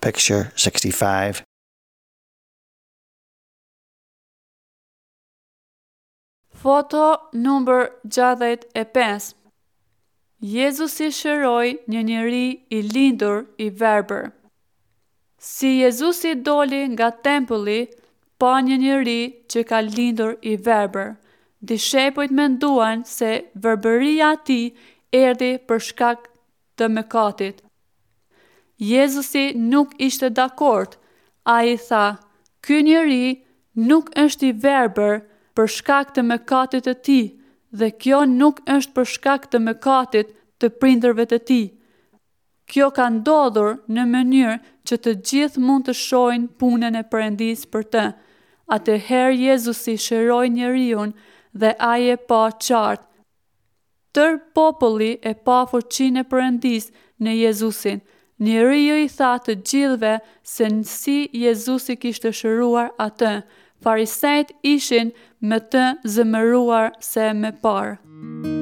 Picture 65. Foto numër 65 Jezusi shëroi një njeri i lindur i verbër. Si Jezusi doli nga tempulli, pa një njeri që ka lindur i verbër. Dishepujt menduan se verbëria e tij erdhi për shkak të mëkatit. Jezusi nuk ishte dakord. Ai tha, ky njeri nuk është i verbër për shkak të mëkatit të tij dhe kjo nuk është për shkak të mëkatit të prindërve të tij. Kjo ka ndodhur në mënyrë që të gjithë mund të shohin punën e Perëndisë për të. Atëherë Jezusi shëroi njeriun dhe ai e pa qartë. Tërë populli e pa fuqinë e Perëndisë në Jezusin. Njeriu i tha të gjithëve se si Jezusi kishte shëruar atë. Farisenjtë ishin më të zemëruar se më parë.